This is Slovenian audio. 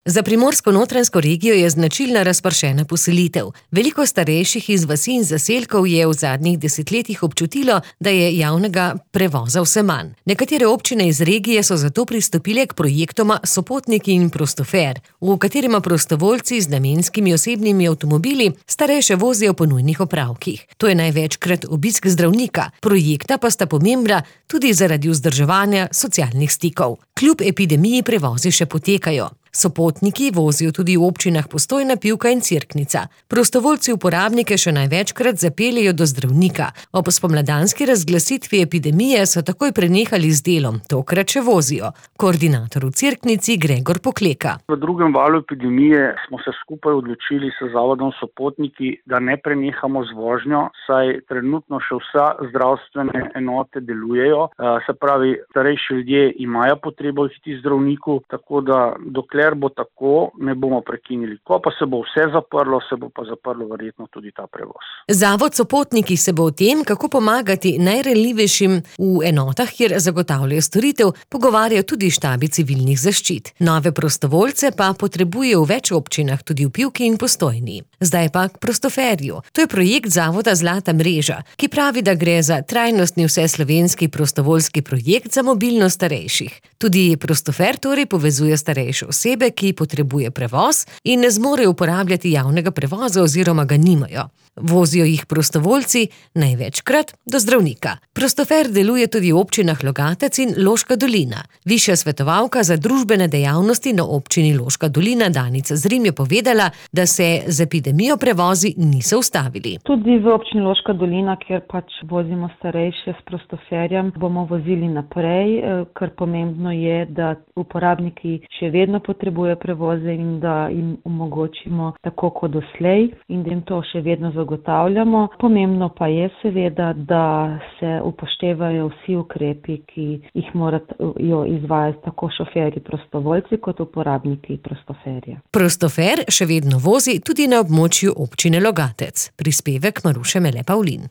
Za Primorsko-notranjsko regijo je značilna razpršena poselitev. Veliko starejših iz vasi in zaselkov je v zadnjih desetletjih občutilo, da je javnega prevoza vse manj. Nekatere občine iz regije so zato pristopile k projektoma Sopotniki in Prostofer, v katerima prostovoljci z namenskimi osebnimi avtomobili starejše vozijo po nujnih opravkih. To je največkrat obisk zdravnika, projekta pa sta pomembna tudi zaradi vzdrževanja socialnih stikov. Kljub epidemiji prevozi še potekajo. Sopotniki vozijo tudi v občinah Postojna, Pivka in Cerknica. Prostovoljci uporabnike še največkrat zapeljejo do zdravnika. Ob spomladanski razglasitvi epidemije so takoj prenehali z delom, tokrat še vozijo. Koordinator v Cerknici Gregor Pokleka. V drugem valu epidemije smo se skupaj odločili s zavodom Sopotniki, da ne prenehamo z vožnjo, saj trenutno še vsa zdravstvene enote delujejo. Se pravi, starejši ljudje imajo potrebo iti zdravniku, tako da dokler bo tako, ne bomo prekinili. Ko pa se bo vse zaprlo, se bo pa zaprlo verjetno tudi ta prevoz. Zavod Sopotniki se bo o tem, kako pomagati najranljivejšim v enotah, kjer zagotavljajo storitev, pogovarjajo tudi štabi civilnih zaščit. Nove prostovoljce pa potrebujejo v več občinah, tudi v Pivki in Postojni. Zdaj pa k Prostoferju. To je projekt zavoda Zlata mreža, ki pravi, da gre za trajnostni vseslovenski prostovoljski projekt za mobilnost starejših. Tudi Prostofer torej povezuje starejše osebe, ki potrebuje prevoz in ne zmorejo uporabljati javnega prevoza oziroma ga nimajo. Vozijo jih prostovoljci največkrat do zdravnika. Prostofer deluje tudi v občinah Logatec in Loška dolina. Višja svetovalka za družbene dejavnosti na občini Loška dolina Danica Zrim je povedala, da se z epidemijo prevozi niso ustavili. Tudi v občini Loška dolina, kjer vozimo starejše s Prostoferjem, bomo vozili naprej, kar pomembno je, da uporabniki še vedno potrebujejo prevoze in da jim omogočimo tako kot doslej in da jim to še vedno zagotavljamo. Pomembno pa je seveda, da se upoštevajo vsi ukrepi, ki jih morajo izvajati tako šoferji prostovoljci kot uporabniki Prostoferja. Prostofer še vedno vozi tudi na območju občine Logatec. Prispevek Maruše Mele Pavlin.